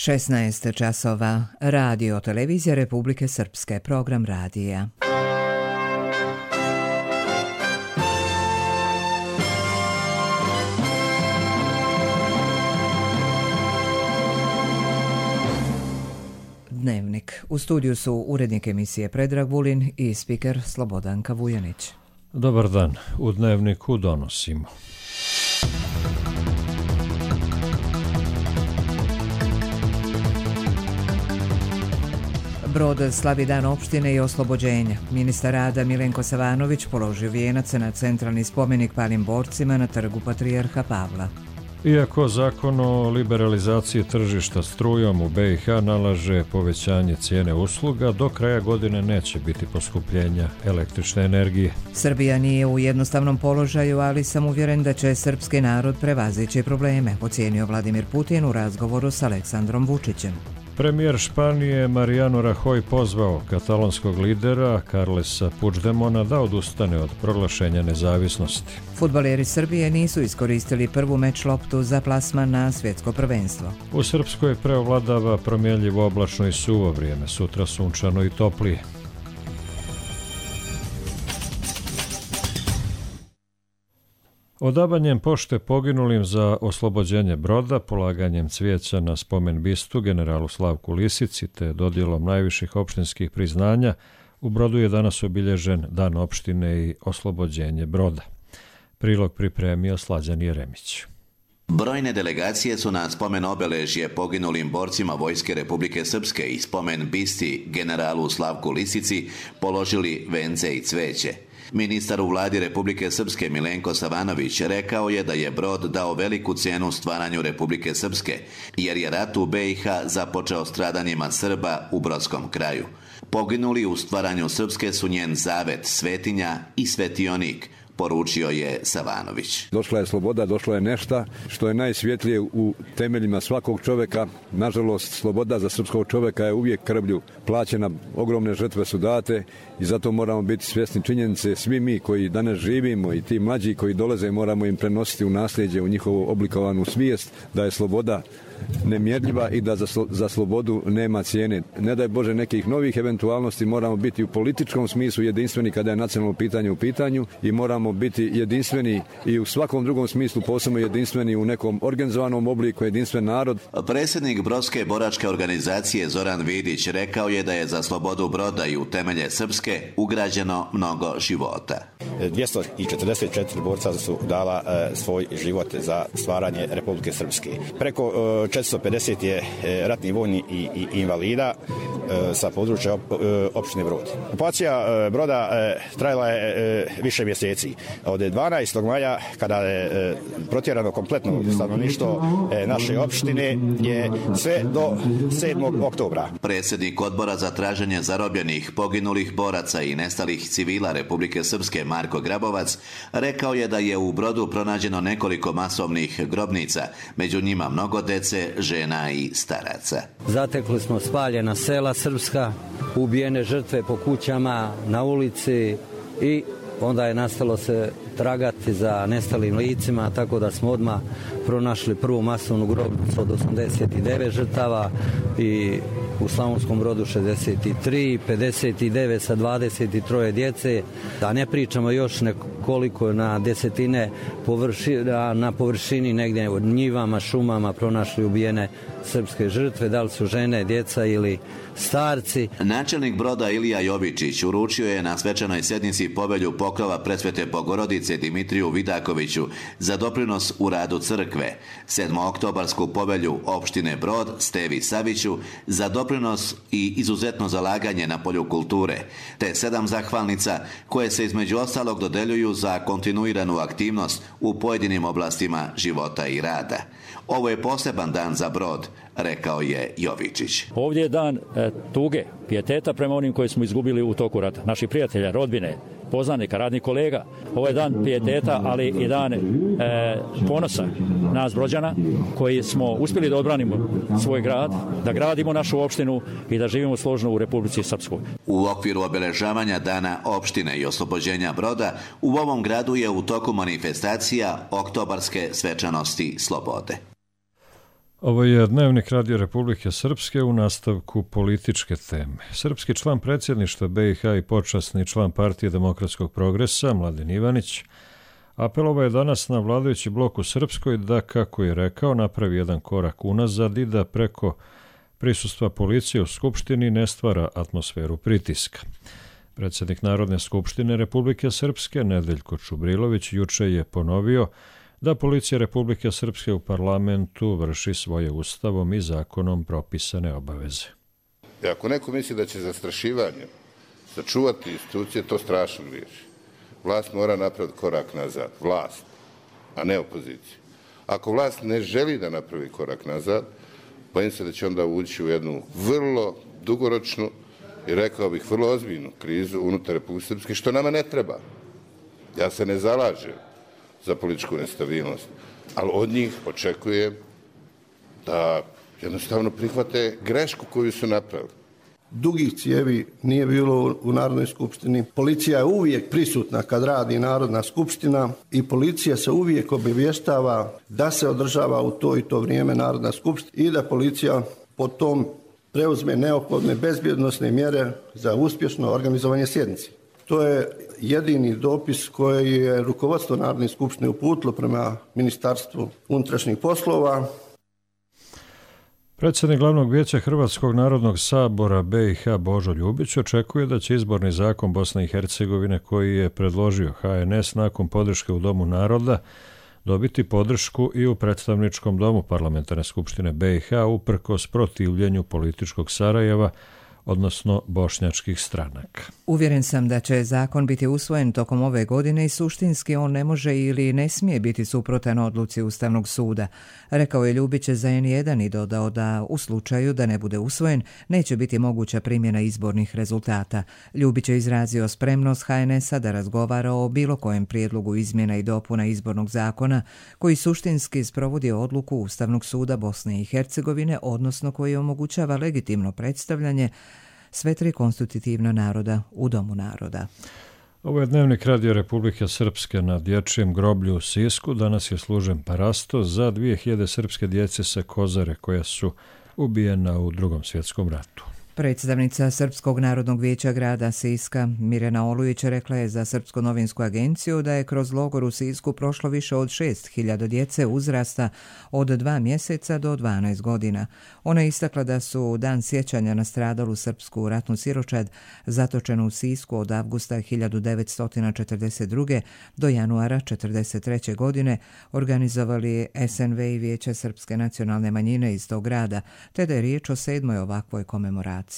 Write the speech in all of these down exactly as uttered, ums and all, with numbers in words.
šesnaest časova. Radio televizija Republike Srpske. Program radija. Dnevnik. U studiju su urednik emisije Predrag Vulin i spiker Slobodanka Vujanić. Dobar dan. U Dnevniku donosimo. Brod slavi dan opštine i oslobođenja. Ministar rada Milenko Savanović položio vijenac na centralni spomenik palim borcima na trgu Patrijarha Pavla. Iako zakon o liberalizaciji tržišta strujom u be i ha nalaže povećanje cijene usluga, do kraja godine neće biti poskupljenja električne energije. Srbija nije u jednostavnom položaju, ali sam uvjeren da će srpski narod prevazići probleme, ocijenio Vladimir Putin u razgovoru s Aleksandrom Vučićem. Premijer Španije Mariano Rajoy pozvao katalonskog lidera Carlesa Puigdemona da odustane od proglašenja nezavisnosti. Fudbaleri Srbije nisu iskoristili prvu meč loptu za plasman na svjetsko prvenstvo. U Srpskoj preovladava promjenljivo oblačno i suvo vrijeme, sutra sunčano i toplije. Odavanjem pošte poginulim za oslobođenje broda, polaganjem cvijeća na spomen bistu generalu Slavku Lisici te dodjelom najviših opštinskih priznanja, u Brodu je danas obilježen Dan opštine i oslobođenje broda. Prilog pripremio Slađan Jeremić. Brojne delegacije su na spomen obeležje poginulim borcima Vojske Republike Srpske i spomen bisti generalu Slavku Lisici položili vence i cveće. Ministar u vladi Republike Srpske Milenko Savanović rekao je da je brod dao veliku cijenu stvaranju Republike Srpske, jer je rat u be i ha započeo stradanjima Srba u brodskom kraju. Poginuli u stvaranju Srpske su njen zavet, svetinja i svetionik, poručio je Savanović. Došla je sloboda, došlo je nešto što je najsvjetlije u temeljima svakog čovjeka. Nažalost, sloboda za srpskog čovjeka je uvijek krvlju plaćena, ogromne žrtve su date i zato moramo biti svjesni činjenice. Svi mi koji danas živimo i ti mlađi koji dolaze moramo im prenositi u nasljeđe, u njihovu oblikovanu svijest da je sloboda nemjerljiva i da za, za slobodu nema cijene. Ne daj Bože nekih novih eventualnosti, moramo biti u političkom smislu jedinstveni kada je nacionalno pitanje u pitanju i moramo biti jedinstveni i u svakom drugom smislu, posebno jedinstveni u nekom organizovanom obliku, jedinstven narod. Predsjednik Brodske boračke organizacije Zoran Vidić rekao je da je za slobodu broda i u temelje Srpske ugrađeno mnogo života. dvjesto četrdeset četiri borca su dala e, svoj život za stvaranje Republike Srpske. Preko e, četiristo pedeset je e, ratnih vojnih i, i invalida e, sa područja op, e, opštine Brod. Okupacija e, broda e, trajala je e, više mjeseci. Od dvanaestog maja, kada je e, protjerano kompletno stanovništvo e, naše opštine, je sve do sedmog oktobra. Predsjednik odbora za traženje zarobljenih, poginulih boraca i nestalih civila Republike Srpske Marko Grabovac rekao je da je u Brodu pronađeno nekoliko masovnih grobnica, među njima mnogo dece, žena i staraca. Zatekli smo spaljena sela srpska, ubijene žrtve po kućama, na ulici i onda je nastalo se tragati za nestalim licima, tako da smo odmah pronašli prvu masovnu grobnicu od osamdeset devet žrtava i u Slavonskom Brodu šezdeset tri, pedeset devet sa dvadeset tri djece. Da ne pričamo još nekoliko na desetine površina, na površini negdje u njivama, šumama pronašli ubijene srpske žrtve, da li su žene, djeca ili starci. Načelnik Broda Ilija Jovičić uručio je na svečanoj sjednici povelju pokrova Presvete Bogorodice Dimitriju Vidakoviću za doprinos u radu crkve, sedmooktobarsku povelju opštine Brod Stevi Saviću za doprinos i izuzetno zalaganje na polju kulture, te sedam zahvalnica koje se između ostalog dodeljuju za kontinuiranu aktivnost u pojedinim oblastima života i rada. Ovo je poseban dan za Brod, rekao je Jovičić. Ovdje je dan e, tuge, pijeteta prema onim koje smo izgubili u toku rata, naših prijatelja, rodbine, poznanika, radnih kolega. Ovo je dan pijeteta, ali i dan e, ponosa nas Brođana, koji smo uspjeli da odbranimo svoj grad, da gradimo našu opštinu i da živimo složno u Republici Srpskoj. U okviru obeležavanja Dana opštine i oslobođenja Broda, u ovom gradu je u toku manifestacija oktobarske svečanosti slobode. Ovo je Dnevnik Radio Republike Srpske u nastavku političke teme. Srpski član predsjedništva be i ha i počasni član Partije demokratskog progresa, Mladen Ivanić, apelovao je danas na vladajući blok u Srpskoj da, kako je rekao, napravi jedan korak unazad i da preko prisustva policije u Skupštini ne stvara atmosferu pritiska. Predsjednik Narodne skupštine Republike Srpske, Nedeljko Čubrilović, juče je ponovio da policija Republike Srpske u parlamentu vrši svoje ustavom i zakonom propisane obaveze. I ako neko misli da će zastrašivanjem sačuvati institucije, to strašno griješi. Vlast mora napraviti korak nazad. Vlast, a ne opozicija. Ako vlast ne želi da napravi korak nazad, bojim se da će onda ući u jednu vrlo dugoročnu i rekao bih vrlo ozbiljnu krizu unutar Republike Srpske, što nama ne treba. Ja se ne zalažem za političku nestabilnost, ali od njih očekujem da jednostavno prihvate grešku koju su napravili. Dugih cijevi nije bilo u Narodnoj skupštini. Policija je uvijek prisutna kad radi Narodna skupština i policija se uvijek obavještava da se održava u to i to vrijeme Narodna skupština i da policija po tom preuzme neophodne bezbjednosne mjere za uspješno organizovanje sjednice. To je jedini dopis koji je rukovodstvo Narodne skupštine uputilo prema Ministarstvu unutrašnjih poslova. Predsjednik Glavnog vijeća Hrvatskog narodnog sabora be i ha Božo Ljubić očekuje da će izborni zakon Bosne i Hercegovine koji je predložio ha en es nakon podrške u Domu naroda dobiti podršku i u predstavničkom domu Parlamentarne skupštine be i ha uprkos protivljenju političkog Sarajeva, odnosno bošnjačkih stranaka. Uvjeren sam da će zakon biti usvojen tokom ove godine i suštinski on ne može ili ne smije biti suprotan odluci Ustavnog suda, rekao je Ljubić za en jedan i dodao da u slučaju da ne bude usvojen neće biti moguća primjena izbornih rezultata. Ljubić je izrazio spremnost ha en es-a da razgovara o bilo kojem prijedlogu izmjena i dopuna izbornog zakona koji suštinski sprovodi odluku Ustavnog suda Bosne i Hercegovine, odnosno koji omogućava legitimno predstavljanje sve tri konstitutivna naroda u Domu naroda. Ovo je Dnevnik Radio Republike Srpske. Na dječjem groblju u Sisku danas je služen parasto za dvije hiljade srpske djece sa Kozare koja su ubijena u Drugom svjetskom ratu. Predstavnica Srpskog narodnog vijeća grada Siska, Mirjana Olujić, rekla je za Srpsku novinsku agenciju da je kroz logor u Sisku prošlo više od šest hiljada djece uzrasta od dva mjeseca do dvanaest godina. Ona je istakla da su dan sjećanja na stradalu srpsku ratnu siročad zatočenu u Sisku od avgusta hiljadu devetsto četrdeset druge do januara četrdeset treće godine organizovali es en ve i Vijeće Srpske nacionalne manjine iz tog grada, te da je riječ o sedmoj ovakvoj komemoraciji.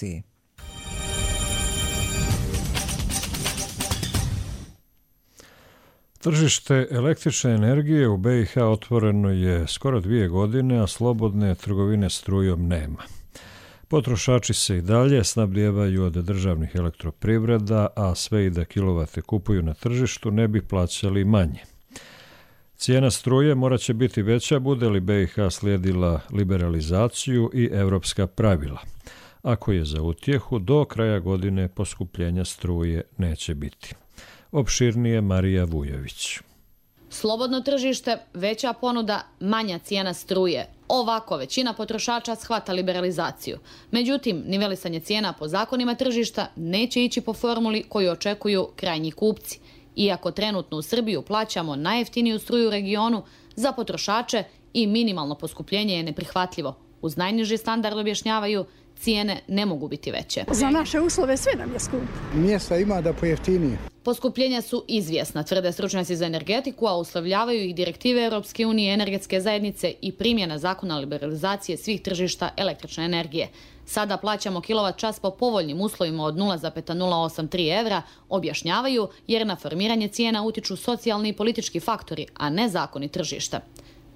Tržište električne energije u be i ha otvoreno je skoro dvije godine, a slobodne trgovine strujom nema. Potrošači se i dalje snabdijevaju od državnih elektroprivreda, a sve i da kilovate kupuju na tržištu ne bi plaćali manje. Cijena struje morat će biti veća bude li be i ha slijedila liberalizaciju i evropska pravila. Ako je za utjehu, do kraja godine poskupljenja struje neće biti. Opširnije Marija Vujović. Slobodno tržište, veća ponuda, manja cijena struje. Ovako većina potrošača shvata liberalizaciju. Međutim, nivelisanje cijena po zakonima tržišta neće ići po formuli koju očekuju krajnji kupci. Iako trenutno u Srbiju plaćamo najjeftiniju struju u regionu, za potrošače i minimalno poskupljenje je neprihvatljivo. Uz najniži standard objašnjavaju, cijene ne mogu biti veće. Za naše uslove sve nam je skup. Mjesta ima da pojeftinije. Poskupljenja su izvjesna, tvrde stručnjaci za energetiku, a uslovljavaju ih direktive Europske unije, energetske zajednice i primjena zakona liberalizacije svih tržišta električne energije. Sada plaćamo kilovat čas po povoljnim uslovima od nula zarez nula osam tri evra, objašnjavaju, jer na formiranje cijena utiču socijalni i politički faktori, a ne zakoni tržišta.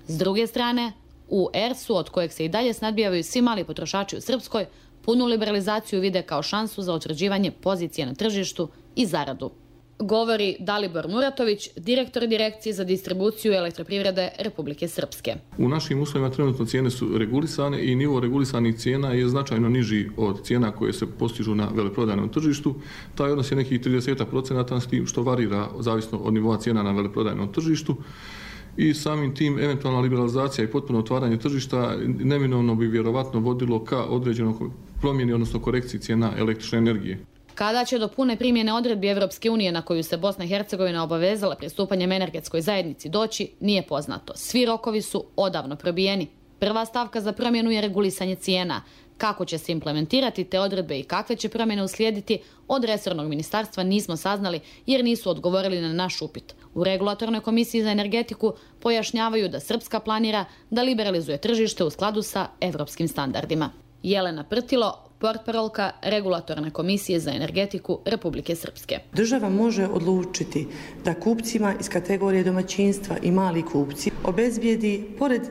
S druge strane, u er su, od kojeg se i dalje snadbijavaju svi mali potrošači u Srpskoj, punu liberalizaciju vide kao šansu za utvrđivanje pozicije na tržištu i zaradu. Govori Dalibor Muratović, direktor Direkcije za distribuciju elektroprivrede Republike Srpske. U našim uslovima trenutno cijene su regulisane i nivo regulisanih cijena je značajno niži od cijena koje se postižu na veleprodajnom tržištu. Taj odnos je nekih trideset procenata s tim što varira zavisno od nivoa cijena na veleprodajnom tržištu. i samim tim eventualna liberalizacija i potpuno otvaranje tržišta neminovno bi vjerovatno vodilo ka određenoj promjeni, odnosno korekciji cijena električne energije. Kada će do pune primjene odredbi Evropske unije na koju se Bosna i Hercegovina obavezala pristupanjem energetskoj zajednici doći, nije poznato. Svi rokovi su odavno probijeni. Prva stavka za promjenu je regulisanje cijena. Kako će se implementirati te odredbe i kakve će promjene uslijediti, od resornog ministarstva nismo saznali jer nisu odgovorili na naš upit. U Regulatornoj komisiji za energetiku pojašnjavaju da Srpska planira da liberalizuje tržište u skladu sa evropskim standardima. Jelena Prtilo, portparolka Regulatorne komisije za energetiku Republike Srpske. Država može odlučiti da kupcima iz kategorije domaćinstva i mali kupci obezbijedi, pored,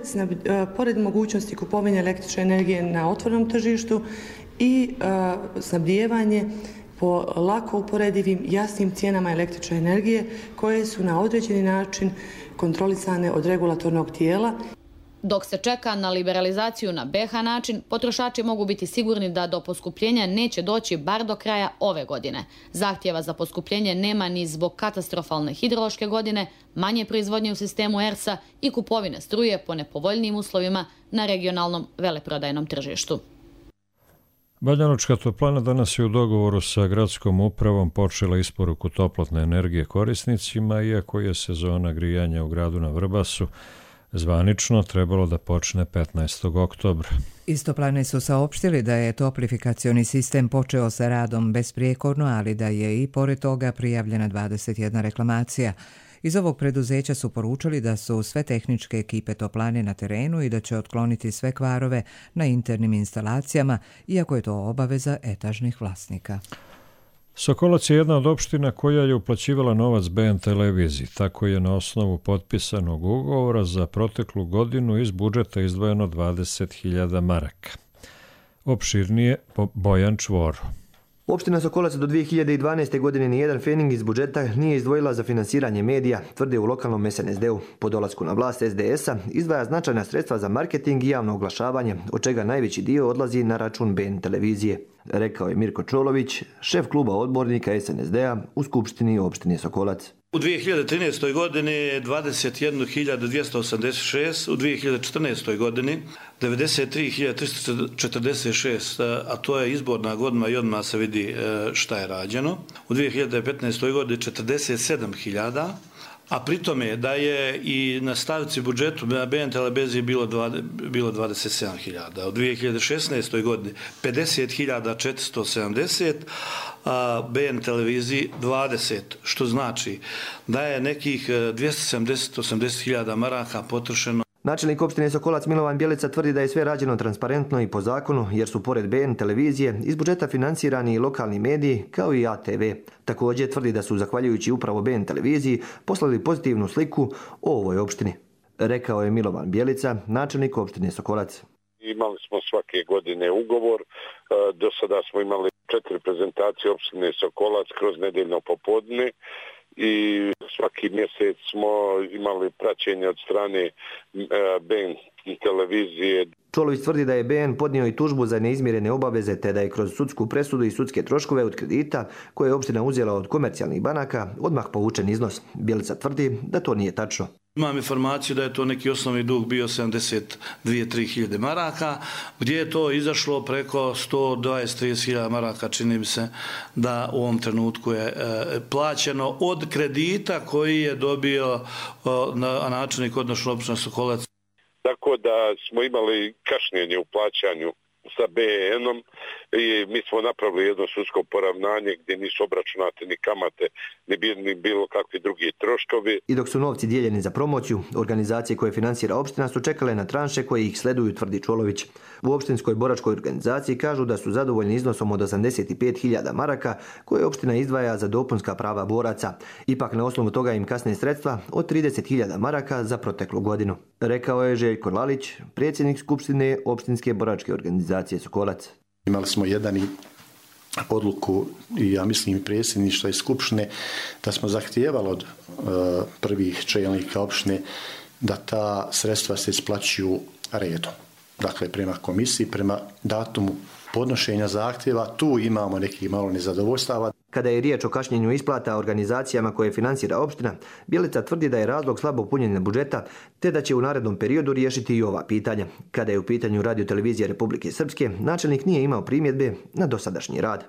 pored mogućnosti kupovine električne energije na otvorenom tržištu, i uh, snabdijevanje po lako uporedivim jasnim cijenama električne energije koje su na određeni način kontrolisane od regulatornog tijela. Dok se čeka na liberalizaciju na B H način, potrošači mogu biti sigurni da do poskupljenja neće doći bar do kraja ove godine. Zahtjeva za poskupljenje nema ni zbog katastrofalne hidrološke godine, manje proizvodnje u sistemu E R S-a i kupovine struje po nepovoljnijim uslovima na regionalnom veleprodajnom tržištu. Banjalučka toplana danas je u dogovoru sa gradskom upravom počela isporuku toplotne energije korisnicima, iako je sezona grijanja u gradu na Vrbasu zvanično trebalo da počne petnaestog oktobra. Iz toplane su saopštili da je toplifikacioni sistem počeo sa radom besprijekorno, ali da je i pored toga prijavljena dvadeset jedna reklamacija. Iz ovog preduzeća su poručili da su sve tehničke ekipe toplane na terenu i da će otkloniti sve kvarove na internim instalacijama, iako je to obaveza etažnih vlasnika. Sokolac je jedna od opština koja je uplaćivala novac B N televiziji. Tako je na osnovu potpisanog ugovora za proteklu godinu iz budžeta izdvojeno dvadeset hiljada maraka. Opširnije Bojan Čvoro. Opština Sokolac do dvije hiljade dvanaeste. godine nijedan fening iz budžeta nije izdvojila za finansiranje medija, tvrde u lokalnom S N S D-u. Po dolasku na vlast S D S-a izdvaja značajna sredstva za marketing i javno oglašavanje, od čega najveći dio odlazi na račun B N televizije. Rekao je Mirko Čolović, šef kluba odbornika S N S D-a u Skupštini opštine Sokolac. U dvije hiljade trinaestoj. godini je dvadeset jednu hiljadu dvjesto osamdeset šest, u dvije hiljade četrnaestoj. godini devedeset tri hiljade tristo četrdeset šest, a to je izborna godina i odmah se vidi šta je rađeno. U dvije hiljade petnaestoj. godini četrdeset sedam hiljada, a pritome da je i na stavci budžetu na B N televiziji bilo, bilo dvadeset sedam hiljada. U dvije hiljade šesnaestoj. godini pedeset hiljada četiristo sedamdeset, a B N televiziji dvadeset, što znači da je nekih dvjesto sedamdeset do osamdeset hiljada maraka potrošeno. Načelnik opštine Sokolac Milovan Bjelica tvrdi da je sve rađeno transparentno i po zakonu, jer su pored B N televizije iz budžeta finansirani i lokalni mediji kao i A T V. Također tvrdi da su, zahvaljujući upravo B N televiziji, poslali pozitivnu sliku o ovoj opštini. Rekao je Milovan Bjelica, načelnik opštine Sokolac. Imali smo svake godine ugovor, do sada smo imali četiri prezentacije opštine Sokolac kroz nedeljno popodne i svaki mjesec smo imali praćenje od strane B N televizije. Čolović tvrdi da je B N podnio i tužbu za neizmirene obaveze, te da je kroz sudsku presudu i sudske troškove od kredita koje je opština uzela od komercijalnih banaka odmah povučen iznos. Bjelica tvrdi da to nije tačno. Imam informaciju da je to neki osnovni dug bio sedamdeset dvije do tri hiljade maraka, gdje je to izašlo preko sto dvadeset do trideset hiljada maraka, čini mi se da u ovom trenutku je e, plaćeno od kredita koji je dobio o, na, načelnik odnosno opština Sokolac. Tako da smo imali kašnjenje u plaćanju sa B N-om i mi smo napravili jedno sudsko poravnanje gdje nisu obračunate ni kamate, ni, ni bilo kakvi drugi troškovi. I dok su novci dijeljeni za promociju, organizacije koje finansira opština su čekale na tranše koje ih sleduju, tvrdi Čolović. U opštinskoj boračkoj organizaciji kažu da su zadovoljni iznosom od osamdeset pet hiljada maraka koje opština izdvaja za dopunska prava boraca. Ipak na osnovu toga im kasne sredstva od trideset hiljada maraka za proteklu godinu. Rekao je Željko Lalić, predsjednik Skupštine opštinske boračke organizacije Sokolac. Imali smo jedan i odluku i ja mislim i predsjedništva i Skupštine da smo zahtijevali od uh, prvih čelnika opštine da ta sredstva se isplaćuju redom. Dakle, prema komisiji, prema datumu podnošenja zahtjeva, tu imamo nekih malo nezadovoljstava. Kada je riječ o kašnjenju isplata organizacijama koje financira opština, Bjelica tvrdi da je razlog slabo punjenje budžeta, te da će u narednom periodu riješiti i ova pitanja. Kada je u pitanju Radio-televizija Republike Srpske, načelnik nije imao primjedbe na dosadašnji rad.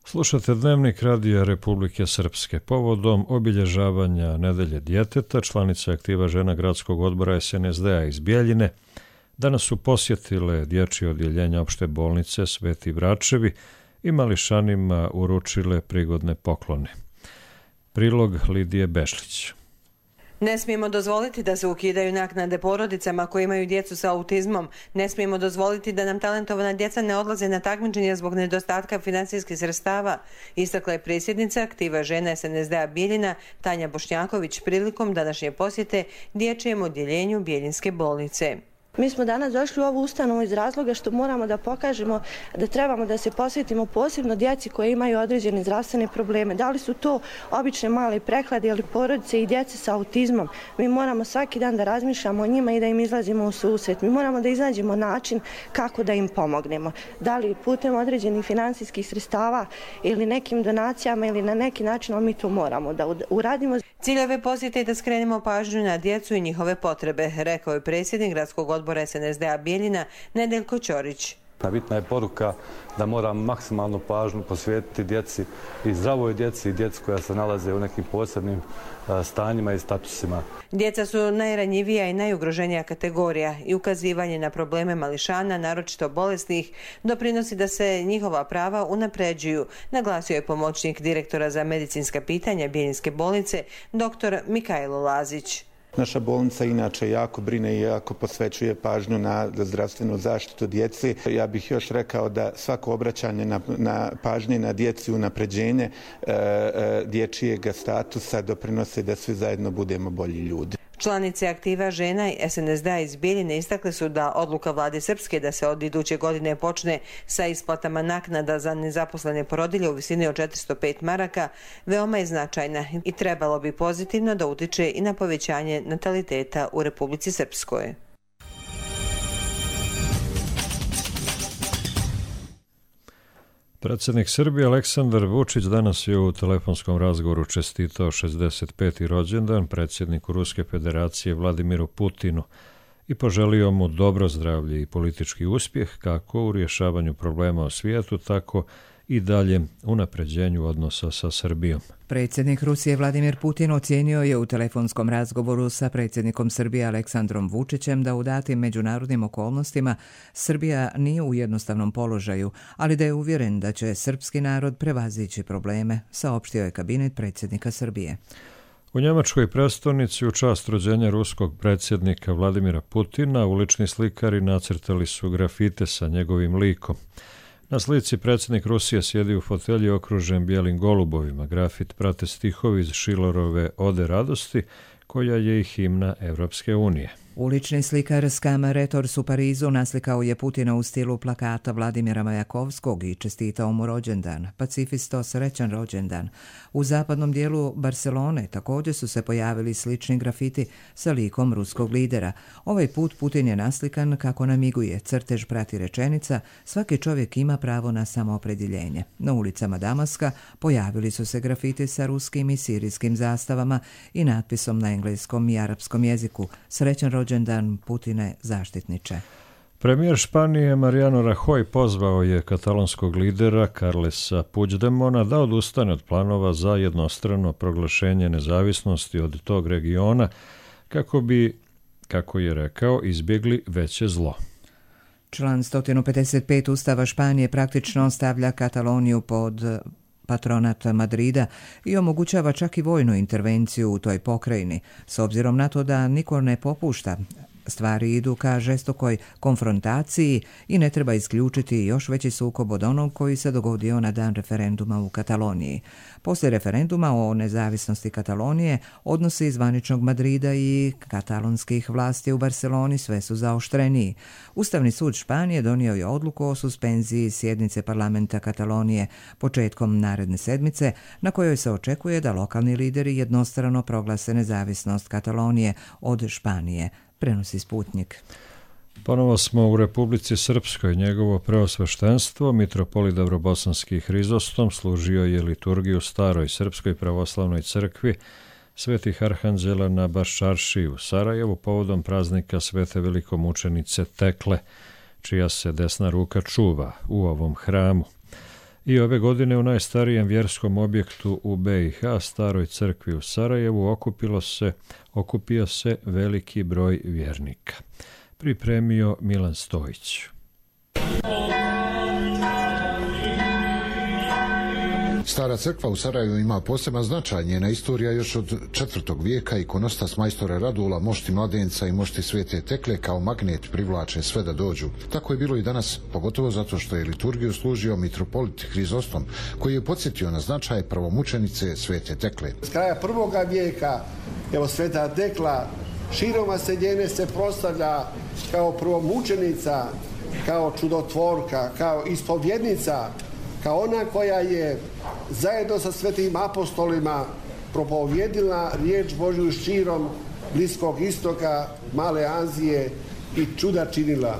Slušate Dnevnik Radija Republike Srpske. Povodom obilježavanja Nedelje djeteta, članice aktiva žena gradskog odbora es en es de a iz Bjeljine danas su posjetile dječje odjeljenja opšte bolnice Sveti Vračevi i mališanima uručile prigodne poklone. Prilog Lidije Bešlić. Ne smijemo dozvoliti da se ukidaju naknade porodicama koji imaju djecu sa autizmom. Ne smijemo dozvoliti da nam talentovana djeca ne odlaze na takmičenja zbog nedostatka financijskih sredstava, istakla je predsjednica aktiva žena es en es de a Bijeljina Tanja Bošnjaković prilikom današnje posjete dječjem odjeljenju Bijeljinske bolnice. Mi smo danas došli u ovu ustanovu iz razloga što moramo da pokažemo da trebamo da se posvetimo posebno djeci koji imaju određene zdravstvene probleme. Da li su to obične male prehlade ili porodice i djece sa autizmom. Mi moramo svaki dan da razmišljamo o njima i da im izlazimo u susret. Mi moramo da iznađemo način kako da im pomognemo. Da li putem određenih finansijskih sredstava ili nekim donacijama ili na neki način, ali mi to moramo da uradimo. Cilj ove posjete je da skrenemo pažnju na djecu i njihove potrebe, rekao je predsjednik gradskog odbora es en es de a Bijeljina Nedeljko Ćorić. Bitna je poruka da moramo maksimalnu pažnju posvetiti djeci i zdravoj djeci i djeci koja se nalaze u nekim posebnim stanjima i statusima. Djeca su najranjivija i najugroženija kategorija i ukazivanje na probleme mališana, naročito bolesnih, doprinosi da se njihova prava unapređuju, naglasio je pomoćnik direktora za medicinska pitanja Bijeljinske bolnice, doktor Mikajlo Lazić. Naša bolnica inače jako brine i jako posvećuje pažnju na zdravstvenu zaštitu djeci. Ja bih još rekao da svako obraćanje na, na pažnje na djeci i unapređenje e, e, dječijeg statusa doprinose da svi zajedno budemo bolji ljudi. Članice aktiva žena i es en es de a iz Bijeljine istakle su da odluka vlade Srpske da se od iduće godine počne sa isplatama naknada za nezaposlene porodilje u visini od četiristo pet maraka veoma je značajna i trebalo bi pozitivno da utiče i na povećanje nataliteta u Republici Srpskoj. Predsjednik Srbije Aleksandar Vučić danas je u telefonskom razgovoru čestitao šezdeset peti rođendan predsjedniku Ruske federacije Vladimiru Putinu i poželio mu dobro zdravlje i politički uspjeh kako u rješavanju problema u svijetu, tako i daljem unapređenju odnosa sa Srbijom. Predsjednik Rusije Vladimir Putin ocijenio je u telefonskom razgovoru sa predsjednikom Srbije Aleksandrom Vučićem da u datim međunarodnim okolnostima Srbija nije u jednostavnom položaju, ali da je uvjeren da će srpski narod prevazići probleme, saopštio je kabinet predsjednika Srbije. U njemačkoj prestonici u čast rođenja ruskog predsjednika Vladimira Putina ulični slikari nacrtali su grafite sa njegovim likom. Na slici predsjednik Rusije sjedi u fotelji okružen bijelim golubovima. Grafit prate stihovi iz Schillerove Ode radosti, koja je i himna Evropske unije. Ulični slikar Skam Retors u Parizu naslikao je Putina u stilu plakata Vladimira Majakovskog i čestitao mu rođendan. Pacifisto, srećan rođendan. U zapadnom dijelu Barcelone također su se pojavili slični grafiti sa likom ruskog lidera. Ovaj put Putin je naslikan kako namiguje. Crtež prati rečenica: svaki čovjek ima pravo na samoopredjeljenje. Na ulicama Damaska pojavili su se grafiti sa ruskim i sirijskim zastavama i natpisom na engleskom i arapskom jeziku: srećan rođendan Putine, zaštitniče. Premijer Španije Mariano Rajoy pozvao je katalonskog lidera Carlesa Puigdemona da odustane od planova za jednostrano proglašenje nezavisnosti od tog regiona kako bi, kako je rekao, izbjegli veće zlo. Član sto pedeset pet Ustava Španije praktično stavlja Kataloniju pod patronat Madrida i omogućava čak i vojnu intervenciju u toj pokrajini, s obzirom na to da niko ne popušta. Stvari idu ka žestokoj konfrontaciji i ne treba isključiti još veći sukob od onog koji se dogodio na dan referenduma u Kataloniji. Poslije referenduma o nezavisnosti Katalonije, odnosi zvaničnog Madrida i katalonskih vlasti u Barceloni sve su zaoštreniji. Ustavni sud Španije donio je odluku o suspenziji sjednice parlamenta Katalonije početkom naredne sedmice, na kojoj se očekuje da lokalni lideri jednostrano proglase nezavisnost Katalonije od Španije, prenosi Sputnik. Ponovo smo u Republici Srpskoj. Njegovo preosveštenstvo, mitropolit Davrobosanski Hrizostom, služio je liturgiju u Staroj Srpskoj pravoslavnoj crkvi Svetih Arhanđela na Baščaršiji u Sarajevu povodom praznika Svete velikomučenice Tekle, čija se desna ruka čuva u ovom hramu. I ove godine u najstarijem vjerskom objektu u B i H, Staroj crkvi u Sarajevu, okupilo se, okupio se veliki broj vjernika. Pripremio Milan Stojić. Stara crkva u Sarajevu ima poseban značaj. Njena istorija još od četvrtog vijeka. Ikonostas majstora Radula, mošti mladenca i mošti Svete Tekle kao magnet privlače sve da dođu. Tako je bilo i danas, pogotovo zato što je liturgiju služio mitropolit Hrizostom, koji je podsjetio na značaj prvomučenice Svete Tekle. S kraja prvoga vijeka, evo Sveta Tekla širom Masedonije se proslavlja kao prvomučenica, kao čudotvorka, kao ispovjednica, kao ona koja je zajedno sa svetim apostolima propovjedila riječ Božju širom Bliskog istoka, Male Azije i čuda činila.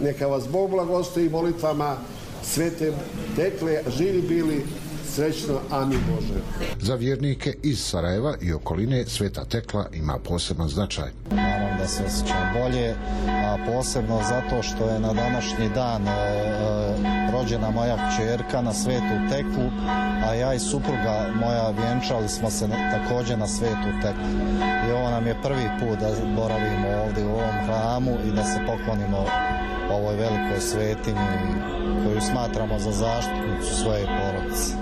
Neka vas Bog blagoslovi molitvama Svete Tekle, živi bili srećno, amin Bože. Za vjernike iz Sarajeva i okoline Sveta Tekla ima poseban značaj. Naravno da se osjećam bolje, a posebno zato što je na današnji dan e, rođena moja kćerka na Svetu Teklu, a ja i supruga moja vjenčali smo se također na Svetu Teklu. I ovo nam je prvi put da boravimo ovdje u ovom hramu i da se poklonimo ovoj velikoj svetinji koju smatramo za zaštitnicu svoje porodice.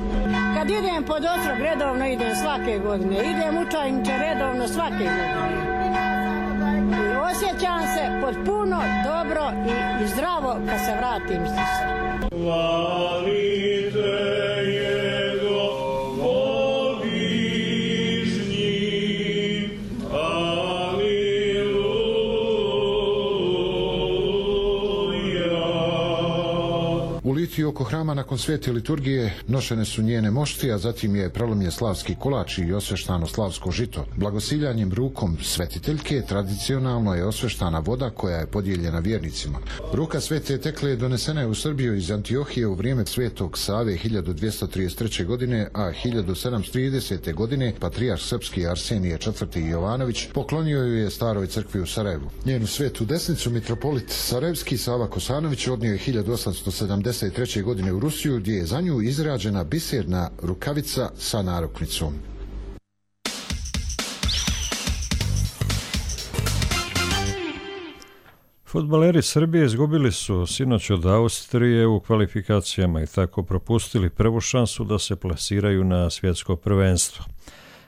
Kad idem pod otrog, redovno idem svake godine. Idem u Čajniče redovno svake godine. I osjećam se potpuno dobro i, i zdravo kad se vratim s U litiji oko hrama nakon svete liturgije nošene su njene mošti, a zatim je prelomljen slavski kolač i osveštano slavsko žito. Blagosiljanjem rukom svetiteljke tradicionalno je osveštana voda koja je podijeljena vjernicima. Ruka Svete Tekle donesena je u Srbiju iz Antiohije u vrijeme Svetog Save hiljadu dvjesto trideset treće. godine, a hiljadu sedamsto tridesete. godine patrijarh srpski Arsenije četvrti. Jovanović poklonio ju je Staroj crkvi u Sarajevu. Njenu svetu desnicu mitropolit Sarajevski Sava Kosanović odnio je hiljadu osamsto sedamdeset treće. godine u Rusiju, gdje je za nju izrađena biserna rukavica sa narukvicom. Fudbaleri Srbije izgubili su sinoć od Austrije u kvalifikacijama i tako propustili prvu šansu da se plasiraju na svjetsko prvenstvo.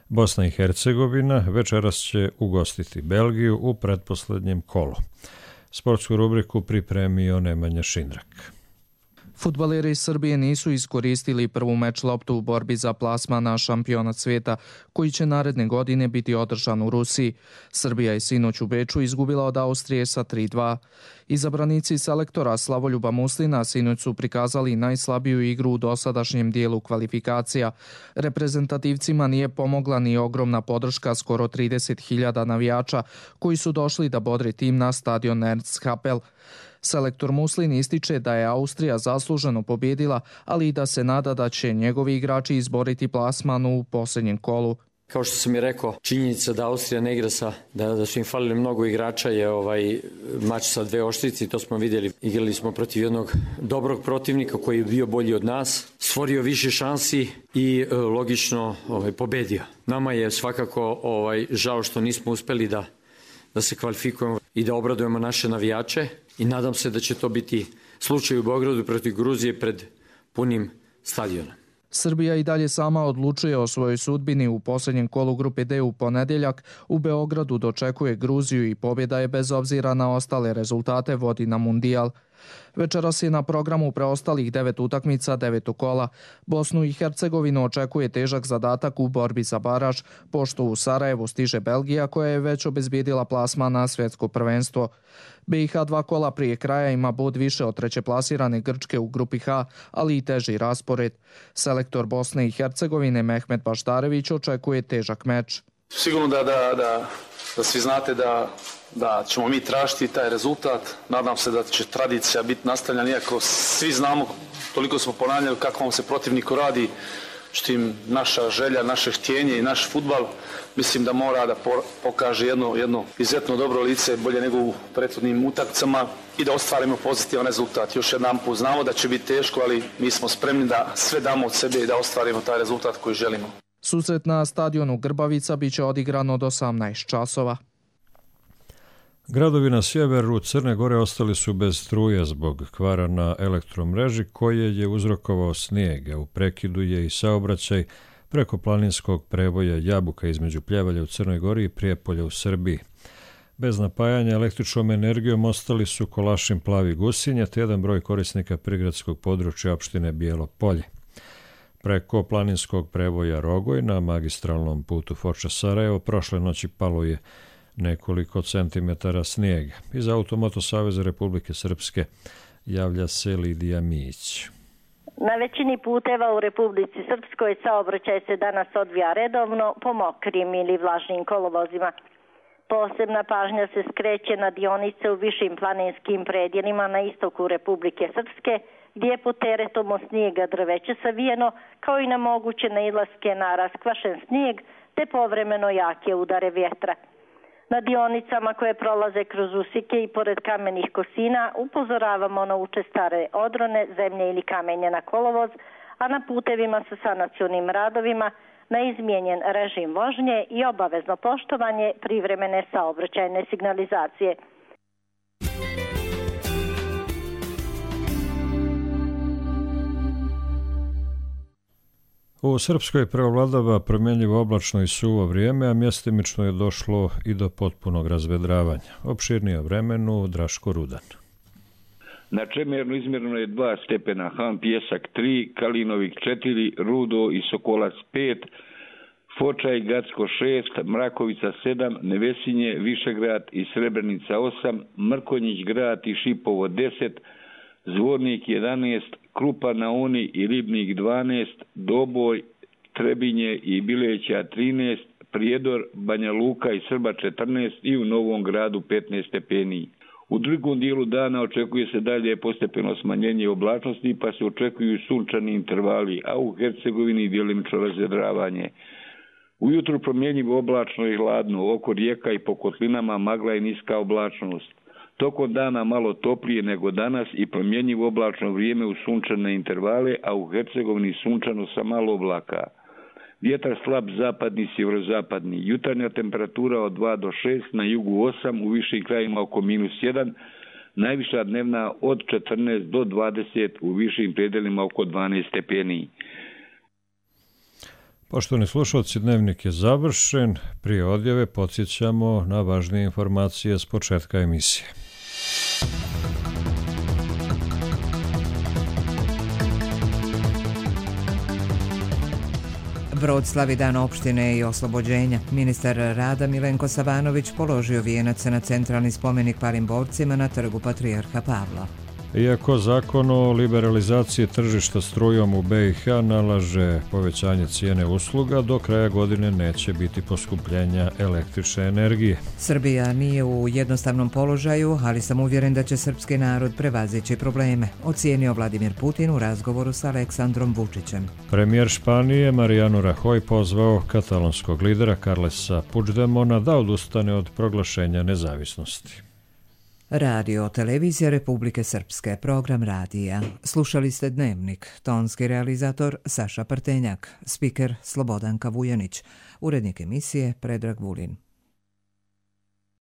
Bosna i Hercegovina večeras će ugostiti Belgiju u pretposlednjem kolu. Sportsku rubriku pripremio Nemanja Šindrak. Fudbaleri iz Srbije nisu iskoristili prvu meč loptu u borbi za plasman na šampionat svijeta, koji će naredne godine biti održan u Rusiji. Srbija je sinoć u Beču izgubila od Austrije sa tri dva. Izabranici selektora Slavoljuba Muslina sinoć su prikazali najslabiju igru u dosadašnjem dijelu kvalifikacija. Reprezentativcima nije pomogla ni ogromna podrška skoro trideset hiljada navijača koji su došli da bodre tim na stadion Ernst Happel. Selektor Muslin ističe da je Austrija zasluženo pobjedila, ali i da se nada da će njegovi igrači izboriti plasman u posljednjem kolu. Kao što sam i rekao, činjenica da Austrija ne igra sa, da, da su im falili mnogo igrača je ovaj mač sa dve oštrice, to smo vidjeli. Igrali smo protiv jednog dobrog protivnika koji je bio bolji od nas, stvorio više šansi i e, logično ovaj, pobedio. Nama je svakako ovaj, žao što nismo uspjeli da, da se kvalifikujemo i da obradujemo naše navijače i nadam se da će to biti slučaj u Beogradu protiv Gruzije pred punim stadionom. Srbija i dalje sama odlučuje o svojoj sudbini. U posljednjem kolu grupe D u ponedjeljak u Beogradu dočekuje Gruziju i pobjeda je bez obzira na ostale rezultate vodi na mundijal. Večeras je na programu preostalih devet utakmica devetog kola. Bosnu i Hercegovinu očekuje težak zadatak u borbi za baraž, pošto u Sarajevu stiže Belgija koja je već obezbijedila plasman na svjetsko prvenstvo. B i H dva kola prije kraja ima bod više od treće plasirane Grčke u grupi H, ali i teži raspored. Selektor Bosne i Hercegovine Mehmet Baštarević očekuje težak meč. Sigurno da, da, da, da svi znate da, da ćemo mi tražiti taj rezultat. Nadam se da će tradicija biti nastavljena, iako svi znamo, toliko smo ponavljali kako vam se protivniku radi, štim naša želja, naše htjenje i naš fudbal, mislim da mora da pokaže jedno, jedno izuzetno dobro lice, bolje nego u prethodnim utakmicama i da ostvarimo pozitivan rezultat. Još jedan put znamo da će biti teško, ali mi smo spremni da sve damo od sebe i da ostvarimo taj rezultat koji želimo. Susret na stadionu Grbavica biće odigrano od osamnaest časova. Gradovi na sjeveru Crne Gore ostali su bez struje zbog kvara na elektromreži koje je uzrokovao snijeg, a u prekidu je i saobraćaj preko planinskog prevoja Jabuka između Pljevalja u Crnoj Gori i Prijepolja u Srbiji. Bez napajanja električnom energijom ostali su Kolašin, Plavi, Gusinja te jedan broj korisnika prigradskog područja opštine Bijelo Polje. Preko planinskog prevoja Rogoj na magistralnom putu Foča-Sarajevo prošle noći palo je nekoliko centimetara snijega. Iz Automoto Saveza Republike Srpske javlja se Lidija Mić. Na većini puteva u Republici Srpskoj saobraćaj se danas odvija redovno po mokrim ili vlažnim kolovozima. Posebna pažnja se skreće na dionice u višim planinskim predjelima na istoku Republike Srpske, gdje je pod teretom od snijega drveće savijeno, kao i na moguće nailaske na raskvašen snijeg, te povremeno jake udare vjetra. Na dionicama koje prolaze kroz usike i pored kamenih kosina upozoravamo na učestare odrone, zemlje ili kamenje na kolovoz, a na putevima sa sanacionim radovima na izmijenjen režim vožnje i obavezno poštovanje privremene saobraćajne signalizacije. U Srpskoj preovladava promjenjivo oblačno i suvo vrijeme, a mjestimično je došlo i do potpunog razvedravanja. Opširnije o vremenu Draško Rudan. Na Čemernu izmjereno je dva stepena, Han Pjesak tri, Kalinovik četiri, Rudo i Sokolac pet, Foča i Gacko šest, Mrakovica sedam, Nevesinje, Višegrad i Srebrenica osam, Mrkonjić grad i Šipovo deset, Zvornik jedanaest, Krupa na Oni i Ribnik dvanaest, Doboj, Trebinje i Bileća trinaest, Prijedor, Banja Luka i Srba četrnaest i u Novom Gradu petnaest stepeni. U drugom dijelu dana očekuje se dalje postepeno smanjenje oblačnosti, pa se očekuju sunčani intervali, a u Hercegovini djelimično razvedravanje. Ujutru promjenjivo oblačno i hladno, oko rijeka i po kotlinama magla i niska oblačnost. Tokom dana malo toplije nego danas i promjenjivo oblačno vrijeme u sunčane intervale, a u Hercegovini sunčano sa malo oblaka. Vjetar slab zapadni, sjeverozapadni. Jutarnja temperatura od dva do šest, na jugu osam, u višim krajima oko minus jedan, najviša dnevna od četrnaest do dvadeset, u višim predelima oko dvanaest stepeni. Poštovani slušalci, dnevnik je završen. Prije odjave podsjećamo na važnije informacije s početka emisije. Brod slavi dan opštine i oslobođenja. Ministar rada Milenko Savanović položio vijenac na centralni spomenik palim borcima na trgu Patrijarha Pavla. Iako zakon o liberalizaciji tržišta strujom u B i H nalaže povećanje cijene usluga, do kraja godine neće biti poskupljenja električne energije. Srbija nije u jednostavnom položaju, ali sam uvjeren da će srpski narod prevazići probleme, ocijenio Vladimir Putin u razgovoru sa Aleksandrom Vučićem. Premijer Španije Mariano Rajoy pozvao katalonskog lidera Carlesa Puigdemona da odustane od proglašenja nezavisnosti. Radio Televizija Republike Srpske, program radija. Slušali ste Dnevnik, tonski realizator Saša Prtenjak, spiker Slobodanka Vujanić, urednik emisije Predrag Vulin.